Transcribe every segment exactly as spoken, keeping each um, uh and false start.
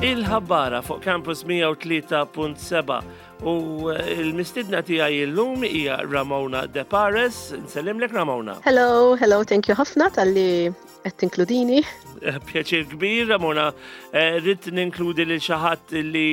Il-ħabbara fuq Campus mija u tlieta punt seba' u il-mistidna tiegħi illum hija Ramona De Pares. Nsellimlek, Ramona. Hello, hello, thank you ħafna talli qed tinkludini. Eh, Pjaċir kbir, Ramona. Eh, Ridt ninkludi lil xi ħadd li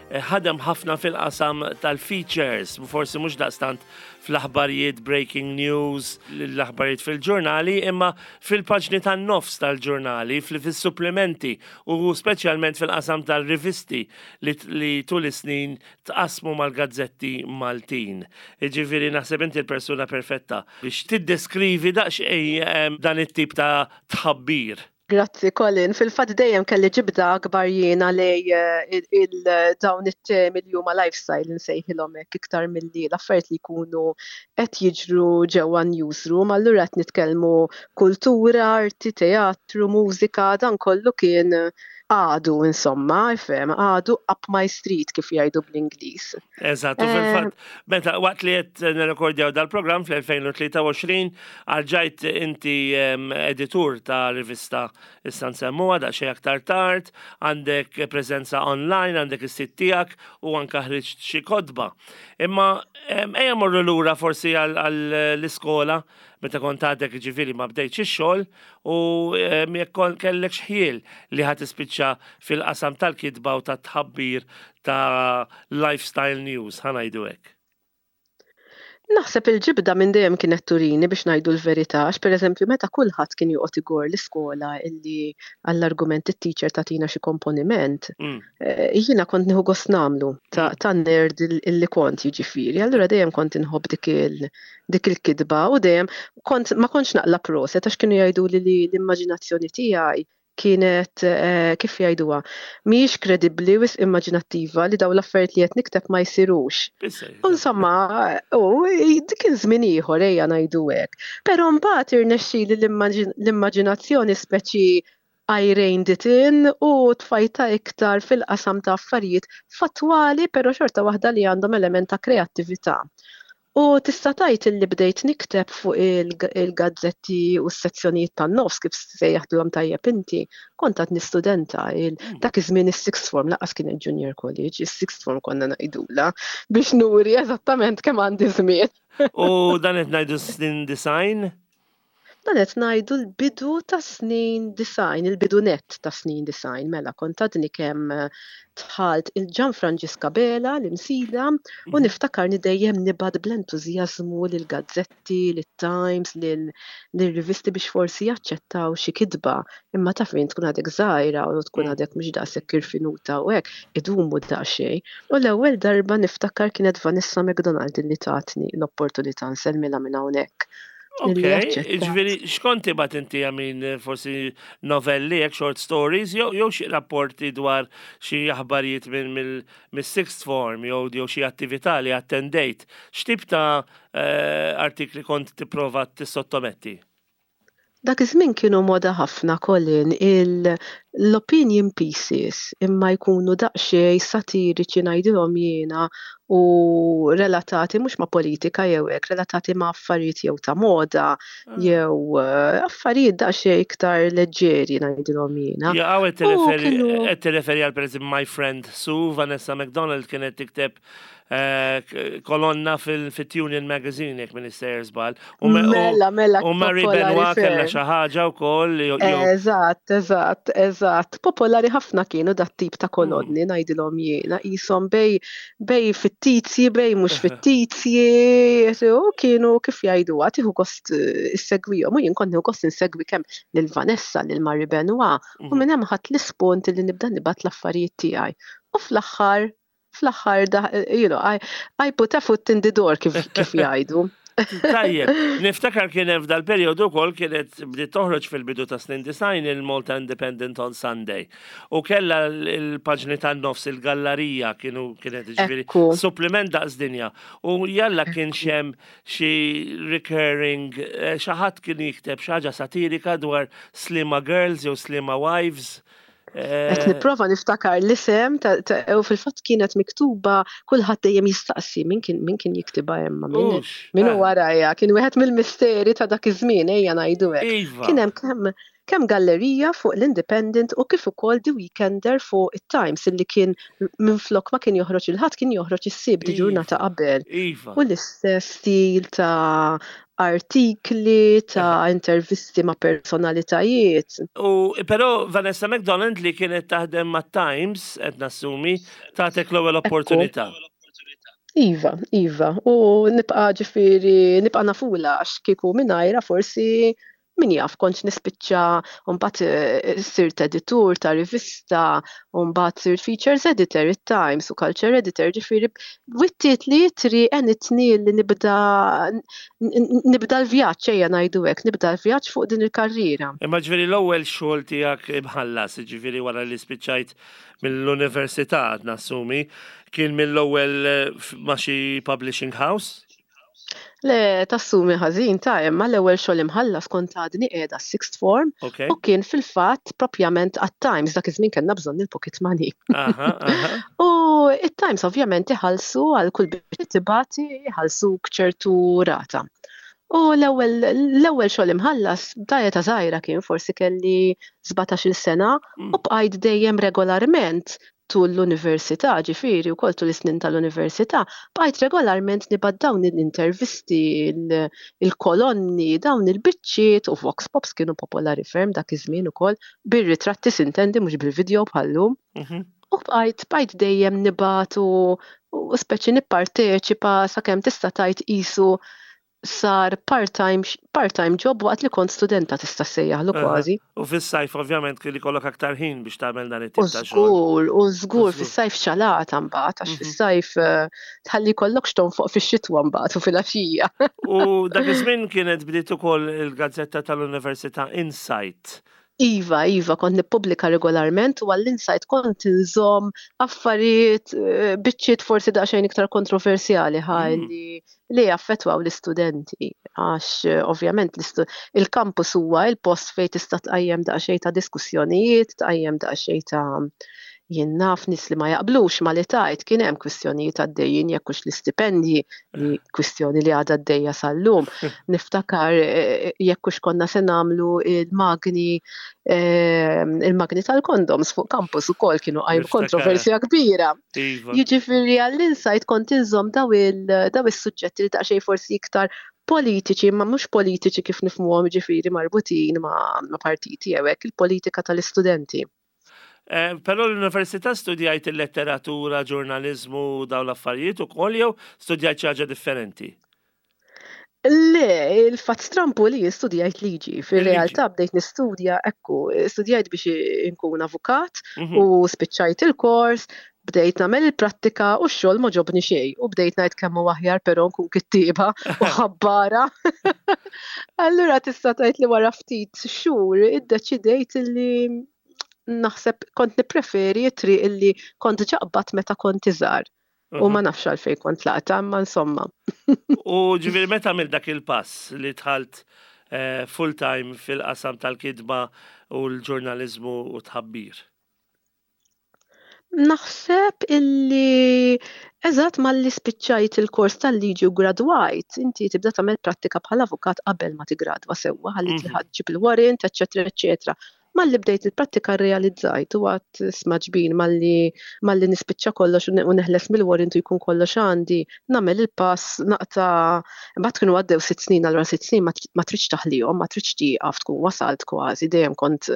eh, ħadem ħafna fil-qasam tal-features, forsi mhux daqstant fl-aħbarijiet breaking news, l-aħbarijiet fil-ġurnali, imma fil-paġni tan-nofs tal-ġurnali, fil-supplementi u speċjalment fil-qasam tal-rivisti li, li tul is-snin tqasmu mal-gazzetti Maltin. Ġifieri naħseb inti l-persuna perfetta biex tiddeskrivi daqsxejn dan it-tip ta' tħabbir. Grazzi, Colin. Fil-fatt dejjem kelli ġibda akbar jiena lejn eh, il-dawn it-temi li huma lifestyle, nsejħilhom hekk, iktar milli l-affarijiet li jkunu qed jiġru ġewwa newsroom. Allura qed nitkellmu kultura, arti, teatru, mużika, dan kollu kien, għadu insomma, ifhem, għadu up my street, kif jgħidu bl-Ingliż. Eżatt, u fil-fatt, meta waqt li qed nirrekordjaw dal-programm fl-elfejn u tlieta u għoxrin, għalġajt inti editur ta' rivista, issa nsemmuha daqsxejn aktar tard, għandek preżenza online, għandek is-sit tiegħek u anka ħriġt xi kotba. Imma ejja morru lura forsi għall-iskola meta kont għadek, ġifieri, ma bdejtx ix-xogħol u jekk kellek xħiel li ħa tispiċċa fil-qasam tal-kitba u tat-tħabbir ta' lifestyle news, ħa ngħidu hekk. Naħseb il-ġibda minn dejjem kienet turini, biex ngħidu l-verità, għax pereżempju meta kulħadd kien joqgħod igor l-iskola illi għall-argument it-teacher tagħtina xi komponiment, mm. eh, jiena kont nieħu gost nagħmlu ta', mm. ta nerd illi kont, jiġifieri. Allura dejjem kont inħobb dik il dik il-kitba u dejjem kont ma kontx naqla proset għax kienu jgħidu li l-immaġinazzjoni tiegħi kienet eh, kif jgħiduha, mhijiex kredibbli, wisq immaġinattiva, li dawn l-affarijiet li qed nikteb ma jsirux. Insomma, u dik kien żmien ieħor, ejja ngħidu hekk. Però mbagħad irnexxieli l-immaġinazzjoni speċi I reined it in u tfajta iktar fil-qasam ta' affarijiet fattwali, però xorta waħda li għandhom element ta' kreattività. U tista' tgħid illi bdejt nikteb fuq il-gazzetti u s-sezzjonijiet tan-nofs, kif sejjaħtlhom tajjeb inti, kont għad studenta mm. dak iż-żmien is-sixth form, lanqas kien junior college, is-sixth form konna ngħidula, biex nuri eżattament kemm għandi żmien. U dan qed ngħidu snin disgħin? Dan qed ngħidu l-bidu ta' snin disgħin, il-bidu net ta' snin disgħin, mela kont għadni kemm dħalt il-Ġan Franġisk Abela, l-Imsida, u mhm. niftakarni dejjem nibgħat bl-entużjażmu lill-gazzetti, lit-Times, lill-rivisti biex forsi jaċċettaw xi kitba. Imma taf fejn tkun għadek żgħira u tkun mm. għadek mhux daqshekk irfinuta u hekk, idumu daqsxejn. U l-ewwel darba niftakar kienet Vanessa McDonald li tatni l-opportunità, nsellmilha minn hawnhekk. Ok, ġifieri, x'kont tibgħat inti, għamin forsi novelli, hekk short stories, jew xi rapporti dwar xi aħbarijiet minn mill-sixth form, jew jew xi attività li attendejt? X'tip ta' eh, artikli kont tipprova tissottometti? Dak iż-żmien kienu moda ħafna, Colin, l-opinion pieces, imma jkunu daqsxejn satiriċi, ngħidilhom jiena, u relatati mhux ma' politika jew hekk, relatati ma' affarijiet jew ta' moda ah. jew eh, affarijiet daqsxejn iktar leġġeri, ngħidilhom jiena. Ja, qed tirreferi għal, pereżempju, My Friend Sue, Vanessa McDonald kienet tikteb Eh, kolonna fil-Union Magazine, jekk m'iniex sejjer żball. Mela, mela. U Marie Benoit kella xi ħaġa wkoll. Eżatt, eżatt, eżatt. Popolari ħafna kienu dat tip ta' kolonni, mm. ngħidilhom jiena, jisom bejn bejn fittizji, bejn mhux fittizji, u kienu, kif jgħidu, tieħu gost eh, issegwihom, u jien kont nieħu gost insegwi kemm lil Vanessa, lil Marie Benoit, u mhm. minn hemm ħadt l-ispunt li nibda nibgħat l-affarijiet tiegħi. U fl-aħħar fl-aħħar, you know, I, I put a foot in the door, kif, kif jgħidu. Tajjeb, niftakar kien hemm f'dal-perjodu wkoll kienet bdiet toħroġ fil-bidu ta' snin disgħin il-Malta Independent on Sunday. U kella l-paġni tan-nofs, il-gallerija, kienu kienet, ġifieri, supplement daqs dinja. U jalla kien hemm xi recurring, eh, xi ħadd kien jikteb xi ħaġa satirika dwar Sliema Girls jew Sliema Wives. Qed nipprova niftakar l-isem u fil-fatt kienet miktuba, kulħadd dejjem jistaqsi min kien min kien jiktibha, imma min min eh. warajja, kien wieħed mill-misteri ta' dak iż-żmien, ejja ngħidu hekk. Iva. Kien hemm kemm kemm gallerija fuq l-Independent u kif ukoll The Weekender fuq it-Times, illi kien minflok ma kien joħroġ il-Ħadd kien joħroġ is-Sibt, ġurnata Iva. qabel. Iva. U l-istess stil ta' artikli, ta' intervisti ma' personalitajiet. U però Vanessa McDonald, li kienet taħdem ma' Times, qed nassumi, tatek l-ewwel opportunità. Iva, iva. U nibqa' ġifieri, nibqa' nafula, għax kieku mingħajrha forsi, min jaf kontx nispiċċa, u mbagħad eh, sirt editur ta' rivista, u mbagħad sirt features editor it-Times u culture editor, ġifieri wittiet li tri għenitni li nibda nibda l-vjaġġ, ejja ngħidu hekk, nibda l-vjaġġ fuq din il-karriera. Imma ġifieri l-ewwel xogħol tiegħek imħallas, ġifieri wara li spiċċajt mill-università, nassumi, kien mill-ewwel eh, ma' xi publishing house? Le, tassumi ħażin ta' imma l-ewwel xogħol imħallas kont għadni qiegħda sixth form Okay. u kien fil-fatt propjament għat-Times. Dak iż-żmien kellna bżonn il-pocket money. Aha, aha. U it-Times ovvjament iħallsu għal kull biex tibati, iħallsuk ċertu rata. U l-ewwel l-ewwel xogħol imħallas ta' età żgħira kien, forsi kelli sbatax-il sena, Mm. u bqajt dejjem regolarment tul l-università, ġifieri wkoll tul is-snin tal-università, bqajt regolarment nibgħat dawn l-intervisti, il- il-kolonni, dawn il-biċċiet u vox pops kienu popolari ferm dak iż-żmien ukoll, bir-ritratti sintendi, mhux bil-video bħallum. Mhm. U bqajt bqajt dejjem nibgħat u u speċi nipparteċipa sakemm tista' tgħid qisu sar part-time part-time job waqt li kont studenta, tista' ssejjaħlu Aha. kważi. U fis-sajf ovvjament kien ikollok aktar ħin biex tagħmel dan U it-tip ta' xogħol. żgur, u żgur żgur. fis-sajf xalata mbagħad, għax Mhm. fis-sajf eh, tħalli jkollok x'tonfoq fix-xitwa mbagħad u fil-għaxija. U dak iż-żmien kienet bdiet ukoll il-gazzetta tal-Università Insight. Iva, iva, kont nippubblika regolarment u għall-Insight kont inżomm affarijiet, eh, biċċiet forsi daqsxejn iktar kontroversjali ħa Mm. li li jaffettwaw l-istudenti, għax eh, ovvjament l-istu- il-campus huwa il-post fejn tista' tqajjem daqsxejn ta' diskussjonijiet, tqajjem daqsxejn ta', jien naf, nies li ma jaqblux ma li tajt. Kien hemm kwistjonijiet għaddejjin jekk hux l-istipendji, li kwistjoni li għadha għaddejja sal-lum. Niftakar eh, jekk hux konna se nagħmlu il-magni eh, il-magni tal-kondoms fuq campus ukoll kienu qajmu Niftakar. kontroversja kbira. Iva. Jiġifieri għall-Insight kont inżomm daw il daw is-suġġetti li daqsxejn forsi iktar politiċi, ma mhux politiċi kif nifhmuhom, ġifieri marbutin ma', ma partiti jew hekk, il-politika tal-istudenti. Eh, Però l-università studjajt il-letteratura, ġurnalizmu, dawn l-affarijiet ukoll jew studjajt xi ħaġa differenti? Le, il-fatt strampu li studjajt liġi. Fil-realtà bdejt nistudja, ekku, studjajt biex inkun avukat Mhm. u spiċċajt il-kors, bdejt nagħmel il-prattika u x-xogħol ma għoġobni xejn u bdejt ngħid kemm hu aħjar però nkun kittieba u ħabbara. Allura tista' tgħid li wara ftit xhur iddeċidejt li naħseb kont nippreferi t-triq illi kont ġaqbat meta kont iżgħar. U ma nafx għalfejn kont laqta, imma insomma. U ġifieri meta għamilt dak il-pass li dħalt eh, full-time fil-qasam tal-kitba u l-ġurnalizmu u tħabbir? Naħseb illi eżatt malli spiċċajt il-kors tal-liġi u gradwajt, inti tibda tagħmel prattika bħala avukat qabel ma tigradwa sewwa, ħalli Mhm. tilħaq ġib il-warrant, eċċetera, eċċetera. Malli bdejt il-prattika rrealizzajt u għedt, "Isma' ġbin, malli malli nispiċċa kollox u ne- u neħles mill-warrant u jkun kollox għandi, nagħmel il-pass, naqta'." Imbagħad kienu għaddew sitt snin, allura sitt snin ma tr- ma tridx taħlihom, ma tridx tieqaf tkun wasalt kważi, dejjem kont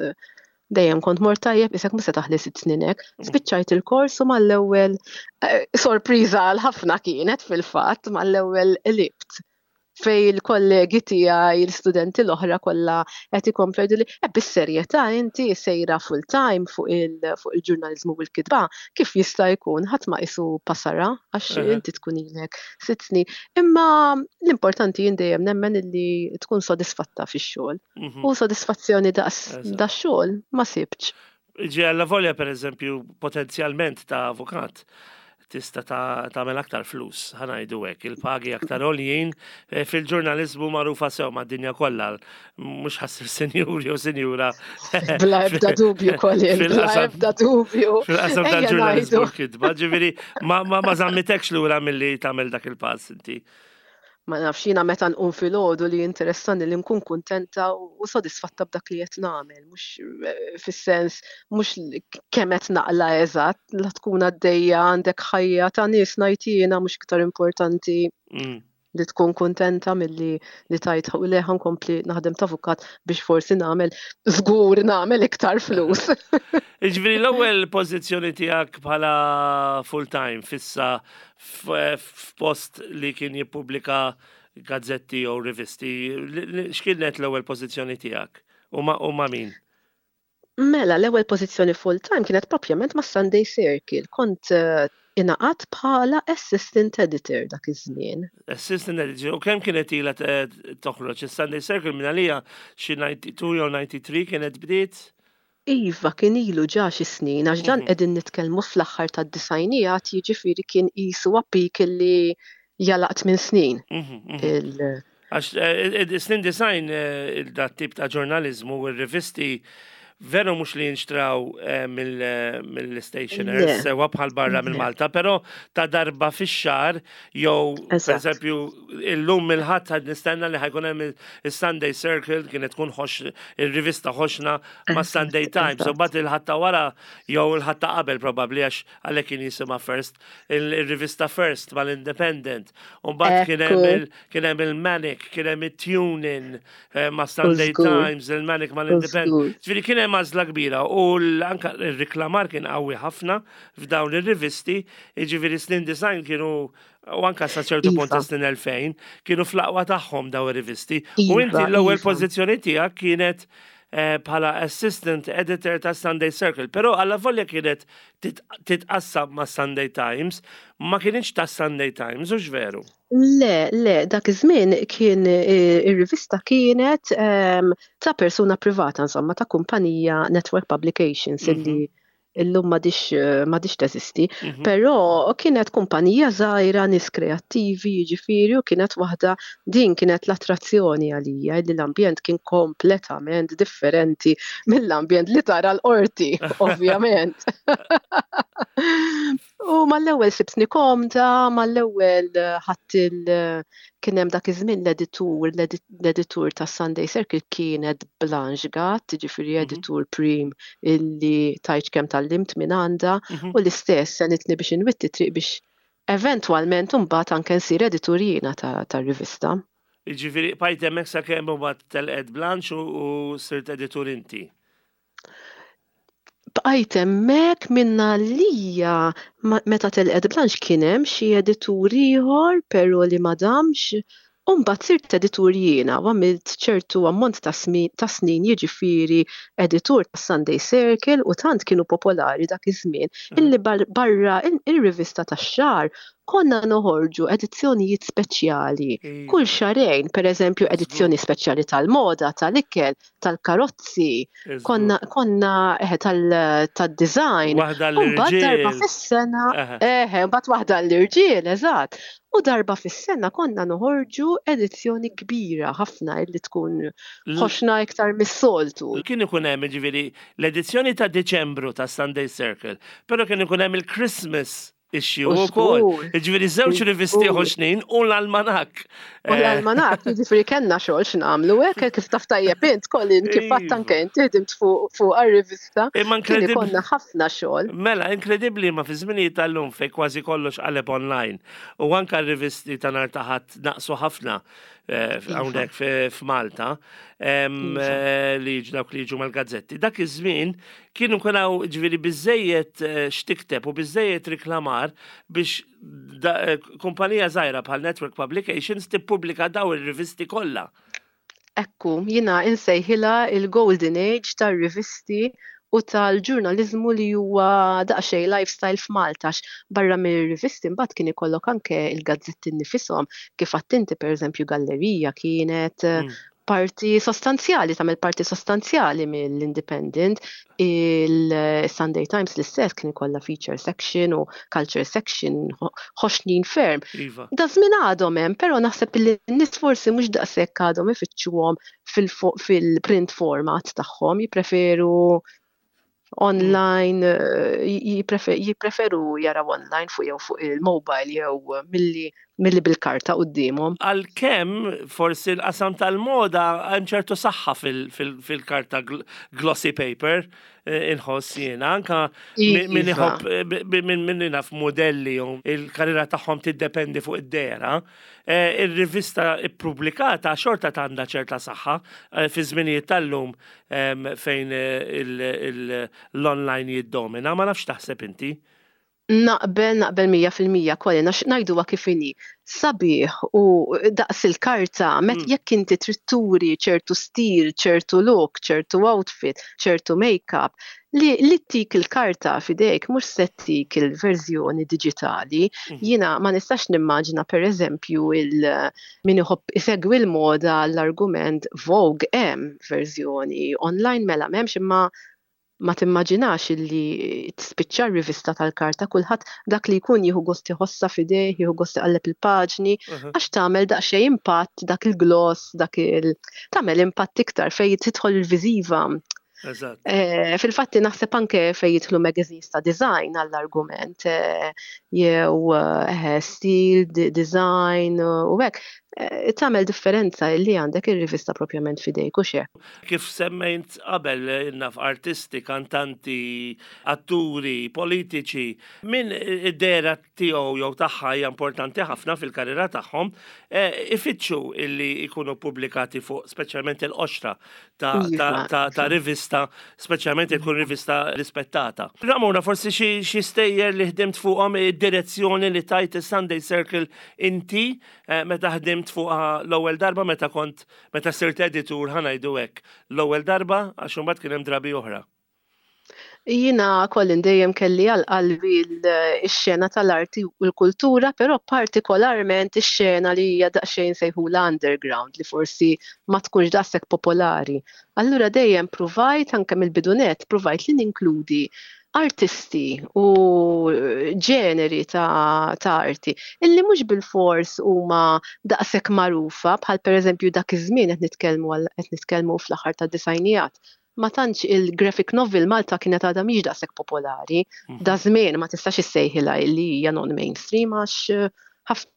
dejjem kont mort tajjeb, isek mhux se taħli sitt snin hekk. Spiċċajt il-kors u mal-ewwel, eh, sorpriża għal ħafna kienet fil-fatt, mal-ewwel qlibt fej il-kollegi tiegħi, l-studenti l-oħra kollha qed ikomplu jgħidu li eh, bis-serjetà inti sejra full time fuq il fuq il-ġurnaliżmu u l-kitba, kif jista' jkun? Ħadd ma qisu pasara għax Eħe. inti tkun ilek sitt snin. Imma l-importanti jien dejjem nemmen illi tkun sodisfatta fix-xogħol. Mhm. U sodisfazzjoni daqs Eżatt. dax-xogħol ma sibtx. Ġi alla volja, per eżempju, potenzjalment ta' avukat, Tista' tagħmel aktar flus, ħa ngħidu hekk, il-pagi aktar għoljin eh, fil-ġurnalizmu magħrufa sew mad-dinja kollha, mhux ħa ssir sinjur jew sinjura. Bla ebda dubju, Colin, bla ebda dubju. Fil-qasam tal-ġurnalizmu l-kitba, ġifieri ma, ma, ma żammitekx lura milli tagħmel dak il-pass inti. Ma nafx, jiena meta nqum filgħodu li interessani li nkun kuntenta u sodisfatta b'dak li qed nagħmel, mhux eh, fis-sens mhux kemm qed naqla eżatt, la tkun għaddejja għandek ħajja ta' nies ngħid jiena mhux iktar importanti mm. li tkun kuntenta milli li tgħid u le nkompli naħdem ta' avukat biex forsi nagħmel żgur nagħmel iktar flus. Ġifieri l-ewwel pożizzjoni tiegħek bħala full time fissa f'post li kien jippubblika gazzetti jew rivisti, x'kienet l-ewwel pożizzjoni tiegħek? U ma' min? Mela, l-ewwel pożizzjoni full time kienet propjament ma' Sunday Circle. Kont eh, ingħaqadt bħala assistant editor dak iż-żmien. Assistant editor, u kemm kienet ilha toħroġ is-Sunday Circle? Minn għalija xi disgħa u disgħin jew tnejn u disgħin kienet bdiet? Iva, kien ilu ġa xi snin, għax dan mhm. qegħdin nitkellmu fl-aħħar tad-disgħinijiet, jiġifieri kien qisu għapik li jalaqt minn snin. Mhm, mhm. Għax eh, snin disgħin eh, dat tip ta' ġurnalizmu u r-rivisti veru mhux li jinxtraw eh, mill-stationers sewa bħal barra minn Malta, però ta' darba fix-xahar jew pereżempju illum il-Ħadd ħad nistenna li ħa jkun hemm il-Sunday Circle, kienet tkun ħox il-rivista ħoxna ma' Sunday Times, u mbagħad il-Ħadd ta' wara jew il-Ħadd ta' qabel probabbli, għax għalhekk kien jisimha First, il-rivista First mal-Independent. U mbagħad kien hemm il-Manic, kien hemm il-Tune-In eh, ma' Sunday Times, il-Manic mal-Independent. Ġifieri kien hemm għażla kbira u anka il-riklamar kien qawwi ħafna f'dawn ir-rivisti, jiġifieri snin disgħin kienu u anka sa ċertu punt ta' snin elfejn kienu fl-aqwa tagħhom daw ir-rivisti. U inti iva, l-ewwel iva. pożizzjoni tiegħek kienet eh, bħala assistant editor ta' Sunday Circle, però alla volja kienet titqassam ma' Sunday Times, ma kienx ta' Sunday Times, u veru? Le, le, dak iż-żmien kien eh, ir-rivista kienet ehm, ta' persuna privata, insomma, ta' kumpanija Network Publications illi mhm. illum m'għadhiex m'għadhiex teżisti, mhm. però kienet kumpanija żgħira, nies kreattivi, jiġifieri, u kienet waħda din kienet l-attrazzjoni għalija li l-ambjent kien kompletament differenti mill-ambjent li tara l-qorti, ovvjament. U mal-ewwel sibtni komda, mal-ewwel ħadd il kien hemm dak iż-żmien l-editur, l-editur ta' Sunday Circle kienet Blanche Gatt, ġifieri mhm. editur prim illi tajt kemm tgħallimt minn għandha mhm. u l-istess għenitni biex inwitti triq biex eventwalment imbagħad anke nsir editur jiena tar-rivista. Ġifieri bqajt hemmhekk sakemm imbagħad telqet Blanche u sirt editur inti. Bqajt hemmhekk minna lija meta telqet Blanche kien hemm xi editur ieħor però li ma damx. U mbagħad sirt editur jiena u għamilt ċertu ammont ta' snin jiġifieri editur ta' Sunday Circle u tant kienu popolari dak iż-żmien mhm. illi barra il-rivista tax-xahar konna noħorġu edizzjonijiet speċjali kull xahrejn, per eżempju edizzjoni speċjali tal-moda, tal-ikel, tal-karozzi, konna konna eħe tal-design. Waħda l-irġiel. Darba fis-sena, eħe, mbagħad waħda l-irġiel, eżatt. U darba fis-sena konna noħorġu edizzjoni kbira ħafna illi tkun ħoxna iktar mis-soltu. Kien ikun hemm ġifieri l-edizzjoni ta' Deċembru ta' Sunday Circle, però kien ikun hemm il-Christmas issue u wkoll. Ġifieri żewġ rivisti ħoxnin u l-almanak. U l-almanak, ġifieri kellna xogħol x'nagħmlu hekk kif taf tajjeb int, Colin, kif għadt anke inti ħdimt fuq għar-rivista. Imma inkredibbli. Konna ħafna xogħol. Mela, inkredibbli ma fi żminijiet tal-lum fej kważi kollox qaleb online. U anka r-rivisti ta' nhar ta' Ħadd naqsu ħafna eh, hawnhekk f'Malta eh, li jiġu dawk li jiġu mal-gazzetti. Dak iż-żmien kienu kunaw ġifieri biżejjed eh, x'tikteb u biżejjed riklamar biex kumpanija żgħira bħal Network Publications tippubblika daw ir-rivisti kollha. Ekku, jiena insejħilha il-Golden Age tar-rivisti u tal-ġurnalizmu li huwa daqsxejn lifestyle f'Malta. Barra mir-rivisti mbagħad kien ikollok anke il-gazzetti nifishom kif għedt inti, pereżempju Gallerija kienet mm. Parti sostanzjali, tagħmel parti sostanzjali mill-Independent. Il-Sunday Times l-istess, kien ikollha feature section u culture section ħoxnin ferm. Iva. Da żmien għadhom hemm, però naħseb li n-nies forsi mhux daqshekk għadhom ifittxuhom fil-print format tagħhom, jippreferu online, eh, jippreferu jaraw online fuq jew fuq il-mobile jew milli milli bil-karta quddiemhom. Għalkemm forsi l-qasam tal-moda hemm ċertu saħħa fil-karta, glossy paper, eh, inħoss jiena, anka min iħobb, eh, min naf modelli u il-karriera tagħhom tiddependi fuq id-dehra. Eh, ir-rivista ippubblikata xorta għandha ċerta saħħa fi żminijiet tal-lum fejn l-online jiddomina. Ma nafx taħseb inti. Naqbel, naqbel mija fil-mija kolli, ngħidu kif inhi. Sabiħ u daqs il-karta, met mm. jekk inti trid turi ċertu stil, ċertu look, ċertu outfit, ċertu make-up, li li tik il-karta fidejk mhux se tik il-verżjoni digitali. Mm. Jiena ma nistax nimmaġina, per eżempju, il min iħobb isegwi l-moda, l-argument Vogue hemm verżjoni online, mela m'hemmx, imma ma timmaġinax illi tispiċċa rivista tal-karta. Kulħadd dak li jkun jieħu gost iħossha f'idejh, jieħu gost iqalleb il-paġni, għax tagħmel daqsxejn impatt dak il-gloss, dak il tagħmel impatt iktar fejn tidħol il-viżiva. Eh, fil-fatti naħseb anke fejn jidħlu magazines ta' design, għall-argument, eh, jew eh, stil, design u hekk, tagħmel differenza li għandek ir-rivista propjament fidejk u xe. Kif semmejt qabel, naf artisti, kantanti, atturi, politiċi, min id-dehra tiegħu jew tagħha hija importanti ħafna fil-karriera tagħhom, ifittxu illi jkunu pubblikati fuq speċjalment il-qoxra ta', ta, ta, ta rivista, speċjalment ikun rivista rispettata. Ramona, forsi xi stejjer li ħdimt fuqhom, id-direzzjoni li tajt is-Sunday Circle inti eh, meta ħdimt fuqha l-ewwel darba, meta kont meta sirt editur, ħa ngħidu hekk, l-ewwel darba, għax imbagħad kien hemm drabi oħra. Jiena kollin dejjem kelli għal qalbi x-xena tal-arti u l-kultura, però partikolarment ix-xena li hija daqsxejn sejħula underground, li forsi ma tkunx daqshekk popolari. Allura dejjem pruvajt, anke mill-bidunet, pruvajt li ninkludi artisti u ġeneri ta', ta arti illi mhux bil-fors huma daqshekk magħrufa, bħal pereżempju dak iż-żmien, qed nitkellmu qed nitkellmu fl-aħħar tad-disgħinijiet, ma tantx il-graphic novel Malta kienet għadha mhix daqshekk popolari. Mhm. Da żmien ma tistax issejħilha li hija non-mainstream għax ħafna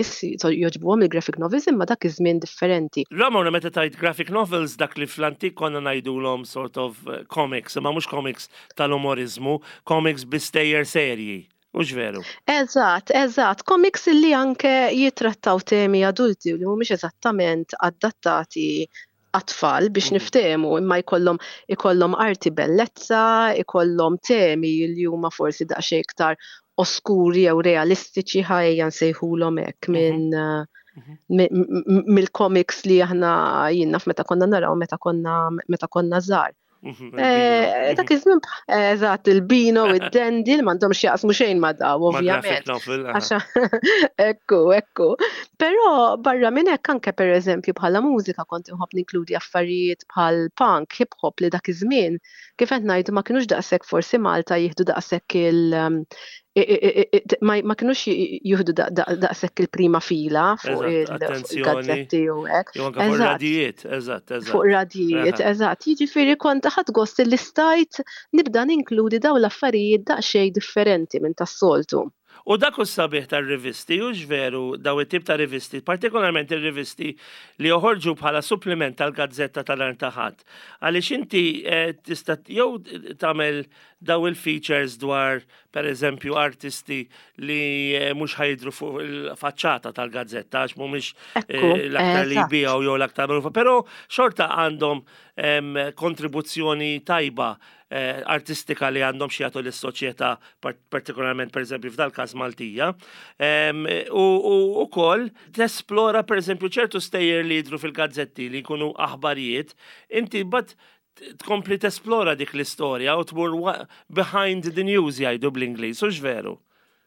jogħġbuhom il-graphic novels, imma dak iż-żmien differenti. Ramona, meta tajt graphic novels, dak li fl-antik konna ngħidulhom sort of eh, comics, imma mhux comics tal-umorizmu, comics bi stejjer serji. Mhux veru? Eżatt, eżatt. Comics li anke jitrattaw temi adulti u li mhumiex eżattament adattati għat-tfal biex mhm. niftehmu, imma jkollhom ikollhom arti bellezza, ikollhom temi li huma forsi daqsxejn iktar oskuri jew realistiċi, ħajja nsejħulhom hekk, mhm. minn mhm. mill-comics li aħna jiena meta konna naraw meta konna meta konna żgħar. Mhm, eh, dak iż-żmien, eżatt, il-Beano, id-Dandy, li m'għandhomx jaqsmu xejn ma' daw, ovvjament. Ekku, ekku. Però barra minn hekk, anke pereżempju bħala mużika kont inħobb ninkludi affarijiet bħal punk, hip hop, li dak iż-żmien, kif qed ngħidu, ma kinux daqshekk forsi Malta jieħdu daqshekk il ma kinux jieħdu daqshekk il-prima fila fuq il-gazzetti u hekk. Fuq radijiet, eżatt, eżatt. Fuq radijiet, eżatt. Jiġifieri kont ħadt gost li stajt nibda ninkludi daw l-affarijiet daqsxejn differenti minn tas-soltu. U dak u sabiħ tar-rivisti, u veru, daw it-tip ta' rivisti, partikolarment ir-rivisti li joħorġu bħala supplement tal-gazzetta tal-nhar ta' Ħadd. Għaliex inti eh, tista' jew tagħmel daw il-features dwar per eżempju artisti li eh, mhux ħa jidhru fuq il-faċċata tal-gazzetta għax mhumiex eh, l-aktar li jbiegħu jew l-aktar magħrufa, però xorta għandhom kontribuzzjoni tajba eh, artistika li għandhom xi jagħtu lis-soċjetà, partikolarment per eżempju f'dal każ Maltija. U ukoll tesplora per eżempju ċertu stejjer li jidhru fil-gazzetti li jkunu aħbarijiet, inti but tkompli tesplora dik l-istorja u tmur behind the news, jgħidu bl-Ingliż, u veru?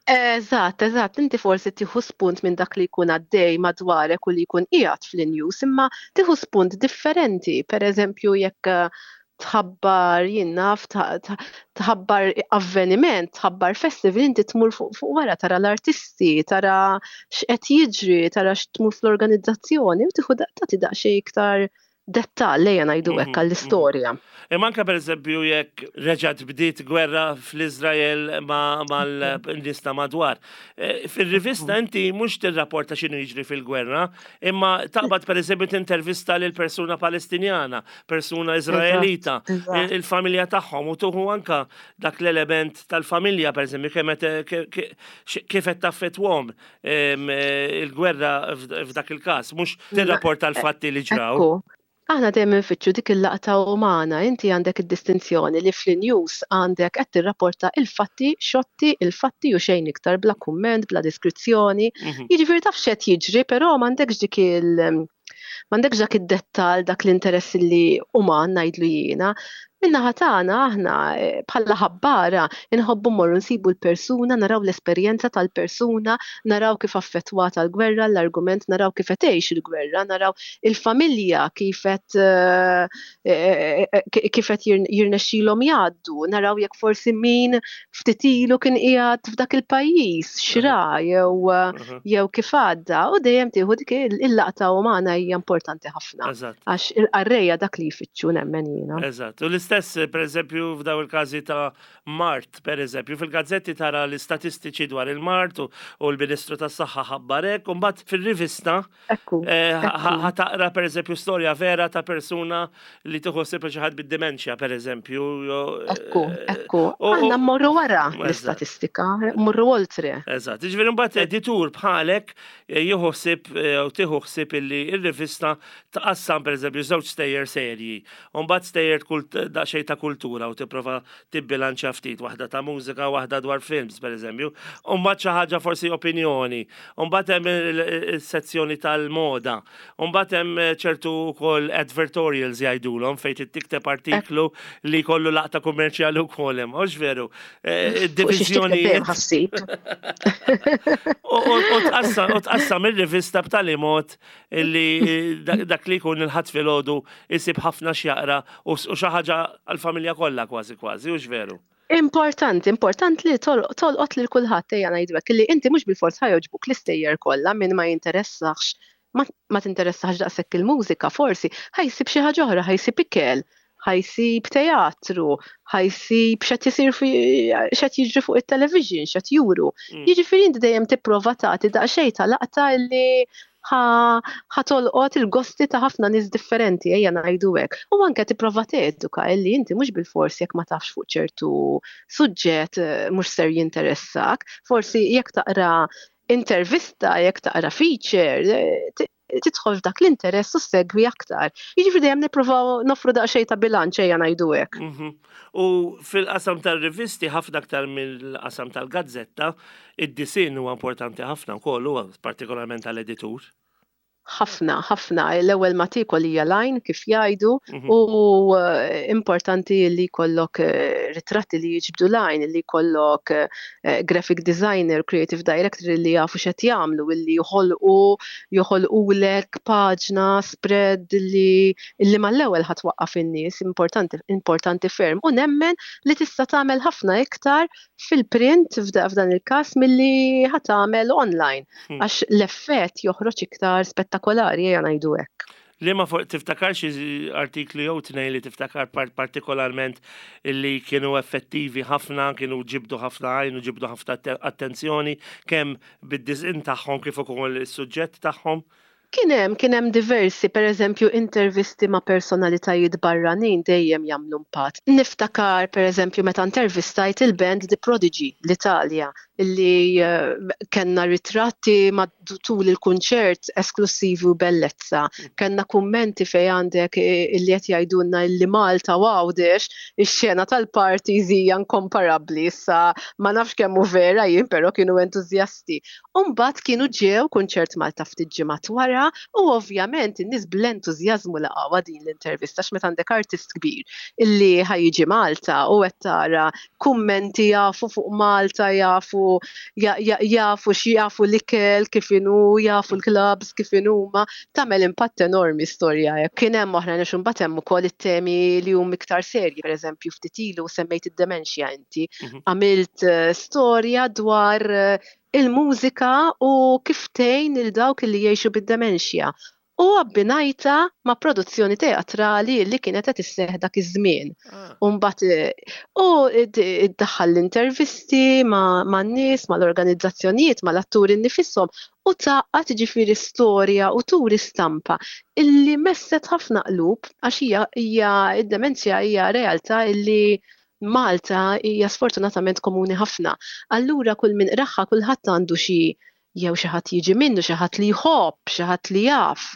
Eżatt, eżatt, inti forsi tieħu spunt minn dak li jkun għaddej madwarek u li jkun qiegħed fl-news, imma tieħu spunt differenti. Per eżempju, jekk eh, tħabbar, jien naf, tħabbar avveniment, tħabbar festival, inti tmur fuq fuq wara tara l-artisti, tara x'qed jiġri, tara x'tmur fl-organizzazzjoni u tieħu tagħti daqsxejn iktar dettall, ejja ngħidu hekk, mhm, għall-istorja. Mhm. Imma anke, pereżempju, jekk reġgħet bdiet gwerra fl-Iżrael mal-nies ta' madwar. Eh, fil-rivista inti mhux tirrapporta x'inhu jiġri fil-gwerra, imma taqbad, pereżempju, tintervista lil persuna Palestinjana, persuna Iżraelita, il-familja tagħhom u tieħu anka dak l-element tal-familja, pereżempju, kif qed taffettwahom il-gwerra f'dak il-każ, mhux tirrapporta l-fatti li ġraw. Aħna dejjem infittxu dik il-laqta umana. Inti għandek id-distinzjoni li fl-news għandek qed tirrapporta il-fatti, xotti, il-fatti u xejn iktar, bla kumment, bla diskrizzjoni. Mhm. Jiġifieri taf x'qed jiġri, però m'għandekx dik il- m'għandekx dak id-dettal, dak l-interess li uman ngħidlu jiena. Min-naħa tagħna aħna eh, bħala ħabbara inħobbu mmorru nsibu l-persuna, naraw l-esperjenza tal-persuna, naraw kif affettwata l-gwerra, l-argument, naraw kif qed tgħix il-gwerra, naraw il-familja kif qed eh, eh, kif qed jirnexxilhom jgħaddu, naraw jekk forsi min ftit ilu kien qiegħed f'dak il-pajjiż, xra jew jew kif għadda, u dejjem tieħu dik il-laqta umana, hija importanti ħafna. Għax il-qarrejja dak li jfittxu, nemmen jiena. Eżatt. U l-istess, per eżempju, f'daw il-każi ta' mard, per eżempju, fil-gazzetti tara l-istatistiċi dwar il-mard u l-Ministru tas-Saħħa ħabbarek, u mbagħad fil-rivista eh, ħa taqra, per eżempju, storja vera ta' persuna li tieħu ħsieb xi ħadd bid-dementia, per eżempju. Ekku, ekku. Aħna mmorru wara l-istatistika, mmorru oltre. Eżatt. Ġifieri mbagħad editur bħalek eh, jieħu ħsieb eh, u tieħu ħsieb illi ir-rivista tqassam, per eżempju, żewġ stejjer serji. U mbagħad stejjer daqsxejn ta' kultura u tipprova tibbilanċa ftit, waħda ta' mużika, waħda dwar films, per eżempju. U mbagħad xi ħaġa forsi opinjoni. U mbagħad hemm il-sezzjoni tal-moda. U mbagħad hemm ċertu wkoll advertorials jgħidulhom, fejn tikteb artiklu li kollu laqta kummerċjali wkoll hemm. Hux veru? Eh, Id-diviżjoni. U tqassam ir-rivista b'tali mod li dak li jkun il-Ħadd filgħodu jsib ħafna x'jaqra u xi ħaġa għall-familja kollha kważi kważi, hux veru? Importanti, importanti li tolqot lil kulħadd, ejja ngħidu hekk, li inti mhux bil-fors ħa jogħġbuk l-istejjer kollha. Min ma jinteressax, ma tinteressax daqshekk il-mużika, forsi ħa jsib xi ħaġa oħra, ħa jsib ikel, ħa jsib teatru, ħa jsib x'qed isir, x'qed jiġri fuq it-television, x'qed juru. Mm. Jiġifieri inti dejjem tipprova tagħti daqsxejn ta' laqta li ħa tolqot il-gosti ta' ħafna nies differenti, ejja ngħidu hekk. U anke tipprova teduka illi inti mhux bil-fors jekk ma tafx fuq ċertu suġġett eh, mhux ser jinteressak, forsi jekk taqra intervista, jekk taqra feature, eh, tidħol f'dak l-interess u segwi aktar. Jiġifieri dejjem nippruvaw nofru daqsxejn ta' bilanċ, ejja ngħidu hekk. Mhm. U fil-qasam tal-rivisti, ħafna aktar mill-qasam tal-gazzetta, id-disinn huwa importanti ħafna wkoll, huwa partikolarment tal-editur. Ħafna, ħafna. L-ewwel ma tiekol hija l-għajn, kif jgħidu, mhm. u eh, importanti li jkollok eh, ritratti li jiġbdu l-għajn, li jkollok eh, graphic designer, creative director li jafu x'qed jagħmlu, li joħolqu joħolqulek paġna, spread li li mal-ewwel ħa twaqqaf in-nies, importanti, importanti ferm. U nemmen li tista' tagħmel ħafna iktar fil-print f'dan il-każ milli ħa tagħmel online, hmm. għax l-effett joħroġ iktar spettakolari, ejja ngħidu hekk. Li ma tiftakar xi artikli jew tnejn li tiftakar partikolarment li kienu effettivi ħafna, kienu ġibdu ħafna għajn u ġibdu ħafna attenzjoni kemm bid-disinn tagħhom kif ukoll is-suġġett tagħhom? Kien hemm, kien hemm diversi, per eżempju, intervisti ma' personalitajiet barranin dejjem jagħmlu impatt. Niftakar, per eżempju, meta intervistajt il-band The Prodigy, l-Italja, illi uh, kellna ritratti ma' tul il-kunċert esklusivi u bellezza. Kellna kummenti fej għandek illi qed jgħidulna illi Malta u Għawdex ix-xena tal-parties hija inkomparabbli. Issa ma nafx kemm hu vera jien, però kienu entużjasti. Umbagħad kienu ġew kunċert Malta ftit ġimgħat wara u ovvjament in-nies bl-entużjażmu laqgħu din l-intervista, x'meta għandek artist kbir illi ħa jiġi Malta u qed tara kummenti, jafu fuq Malta, jafu jafu jafu x'jafu l-ikel kif inhu, jafu l-clubs kif inhuma, tagħmel impatt enormi storja. Kien hemm oħra għax imbagħad hemm ukoll it-temi li huma iktar serji, pereżempju ftit ilu semmejt id-dementia inti. Mhm. Għamilt eh, storja dwar eh, il-mużika u kif tgħin lil dawk li jgħixu bid-dementia u abbinajtha ma' produzzjoni teatrali li kienet qed isseħħ dak iż-żmien. Ah. U mbagħad u iddaħħal l-intervisti ma' nies, mal-organizzazzjonijiet, mal-atturi nifishom u tgħaqqad ġifieri storja u turi stampa illi messet ħafna qlub għax hija hija id-demenzja hija realtà illi Malta hija sfortunatament komuni ħafna. Allura kull min qraha kulħadd għandu xi jew xi ħadd jiġi minnu, xi ħadd li jħobb, xi ħadd li jaf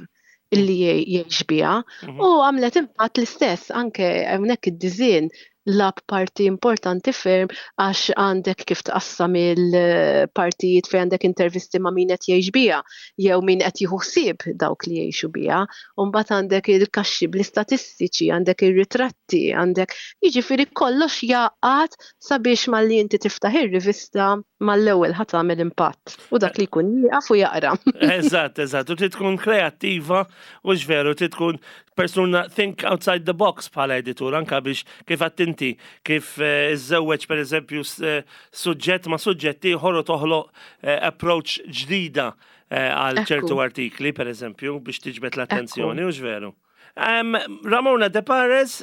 illi jgħix biha. Mhm. U għamlet impatt l-istess anke hawnhekk id-disinn lagħab parti importanti ferm għax għandek kif tqassam il-partijiet fejn għandek intervisti ma' min qed jgħix biha jew min qed jieħu ħsieb dawk li jgħixu biha. U mbagħad għandek il-kaxxi bl-istatistiċi, għandek ir-ritratti, għandek jiġifieri kollox jaqgħad sabiex malli inti tiftaħ ir-rivista mal-ewwel ħa tagħmel impatt. U dak li jkun jieqaf u jaqra. Eżatt, eżatt. U trid tkun kreattiva u veru, trid tkun persuna think outside the box bħala editur, anka biex kif inti, kif eh, iżżewweġ per eżempju eh, suġġett ma' suġġett ieħor u toħloq eh, approach ġdida għal ċertu artikli, per eżempju, biex tiġbed l-attenzjoni, u veru. Ramona Depares,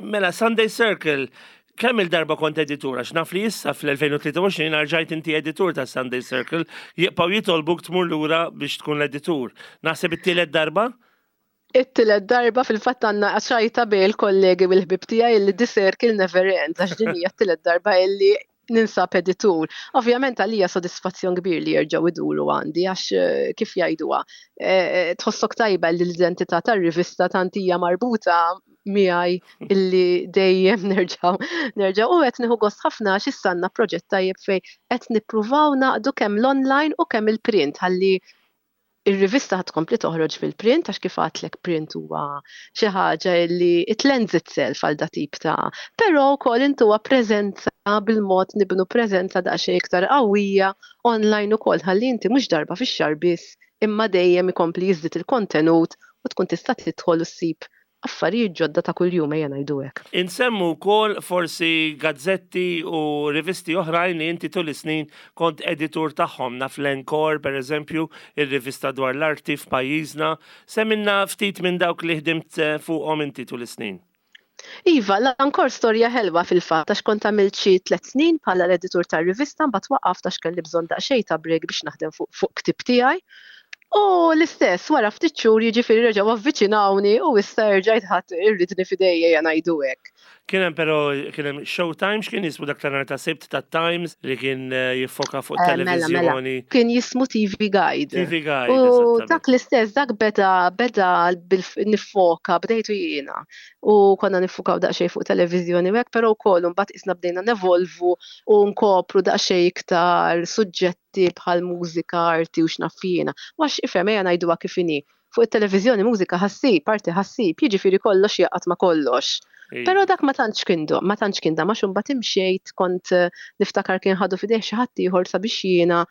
mela Sunday Circle, kemm il-darba kont editur, għax naf li issa fl-elfejn u tlieta u għoxrin rġajt inti editur ta' Sunday Circle, jibqgħu jitolbuk tmur lura biex tkun l-editur. Naħseb it-tielet darba? It-tielet darba. Fil-fatt għandna ċajta bejn il-kollegi u l-ħbib tiegħi illi the circle never ends, għax din hija t-tielet darba illi ninsab editur. Ovvjament għalija sodisfazzjon kbir li jerġgħu iduru għandi għax eh, kif jgħiduha, eh, tħossok tajba li l-identità tar-rivista tant hija marbuta miegħi illi dejjem nerġgħu nerġgħu u qed nieħu gost ħafna għax issa għandna proġett tajjeb fejn qed nippruvaw naqdu kemm l-online u kemm il-print ħalli ir-rivista ħad tkompli toħroġ fil-print għax kif għedtlek print huwa xi ħaġa li it lends itself għal dat tip ta' però wkoll intuha preżenza bil-mod nibnu preżenza daqsxejn iktar qawwija online ukoll ħalli inti mhux darba fix-xahar biss imma dejjem ikompli jiżdied il-kontenut u tkun tista' tidħol u ssib affarijiet ġodda ta' kuljum, ejja ngħidu hekk. Insemmu wkoll forsi gazzetti u rivisti oħrajn li inti tul is-snin kont editur tagħhom, naf l-Encore per eżempju, ir-rivista dwar l-arti f'pajjiżna. Semmilna ftit minn dawk li ħdimt eh, fuqhom inti tul is-snin. Iva, l-Encore storja ħelwa fil-fatt, għax kont għamilt xi tliet snin bħala l-editur tar-rivista, mbagħad waqaft għax kelli bżonn daqsxejn ta' break biex naħdem fuq fuq ktib tiegħi. U l-istess, wara ftit xhur jiġifieri reġgħu avviċinawni u issa rġajt ħadt ir-riedni f'idejja, ejja ngħidu hekk. Kien hemm però kien hemm Showtime, x'kien jismu dak ta' ta' Sibt ta' Times li kien eh, jiffoka fuq Eh, mela, mela. televiżjoni? Kien jismu T V Guide. T V Guide, U eżattament. dak l-istess, dak beda beda bil niffoka, bdejtu jiena. U konna niffokaw daqsxejn fuq televiżjoni u hekk, però wkoll imbagħad isna bdejna nevolvu u nkopru daqsxejn iktar suġġetti bħal mużika, arti u x'naf jiena. Għax ifhem, ejja ngħiduha kif inhi. Fuq it-televiżjoni mużika ħa ssib, arti ħa ssib, jiġifieri kollox jaqgħad ma' kollox. Iva. Però dak ma tantx kien do, ma tantx kien da, ma mbagħad imxejt kont eh, niftakar kien ħadu f'idejh xi ħadd ieħor sabiex jiena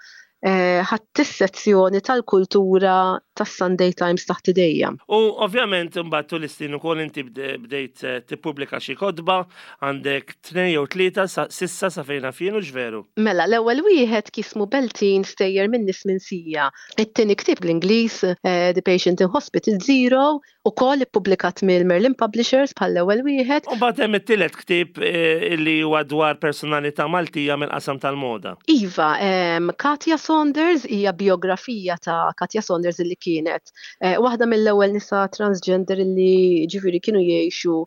eh, ħadt is-sezzjoni tal-kultura tas-Sunday Times taħt idejja. U ovvjament imbagħad tul is-snin ukoll inti bde- bdejt eh, tippubblika xi kotba, għandek tnejn jew tlieta sa- s'issa sa fejn naf jien, veru? Mela, l-ewwel wieħed jismu Beltin stejjer minn nies minsija. It-tieni ktieb bl-Ingliż, eh, The Patient in Hospital Zero, ukoll ippubblikat mill Merlin Publishers bħal l-ewwel wieħed. U mbagħad hemm it-tielet ktieb eh, illi huwa dwar personalità Maltija mill-qasam tal-moda. Iva, em, Katja Saunders hija biografija ta' Katja Saunders illi kienet eh, waħda mill-ewwel nisa transgender illi ġifieri kienu jgħixu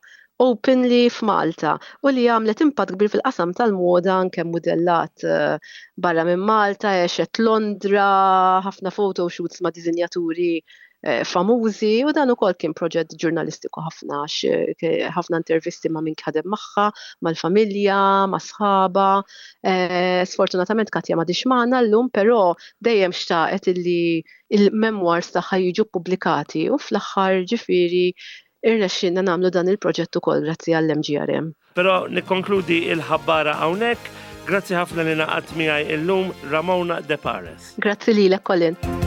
openly f'Malta u li għamlet impatt kbir fil-qasam tal-moda anke modellat eh, barra minn Malta, għexet Londra, ħafna photoshoots ma' dizinjaturi eh, famużi u dan ukoll kien proġett ġurnalistiku ħafna għax eh, ħafna intervisti ma' min ħadem magħha, mal-familja, ma' sħaba. Eh, Sfortunatament Katja m'għadhiex magħna llum, però dejjem xtaqet illi il-memoirs tagħha jiġu pubblikati u fl-aħħar ġifieri irnexxinna nagħmlu dan il-proġett ukoll grazzi għall-M G R M. Però nikkonkludi il-ħabbara hawnhekk. Grazzi ħafna li ngħaqadt miegħi illum, Ramona De Pares. Grazzi lilek, Colin.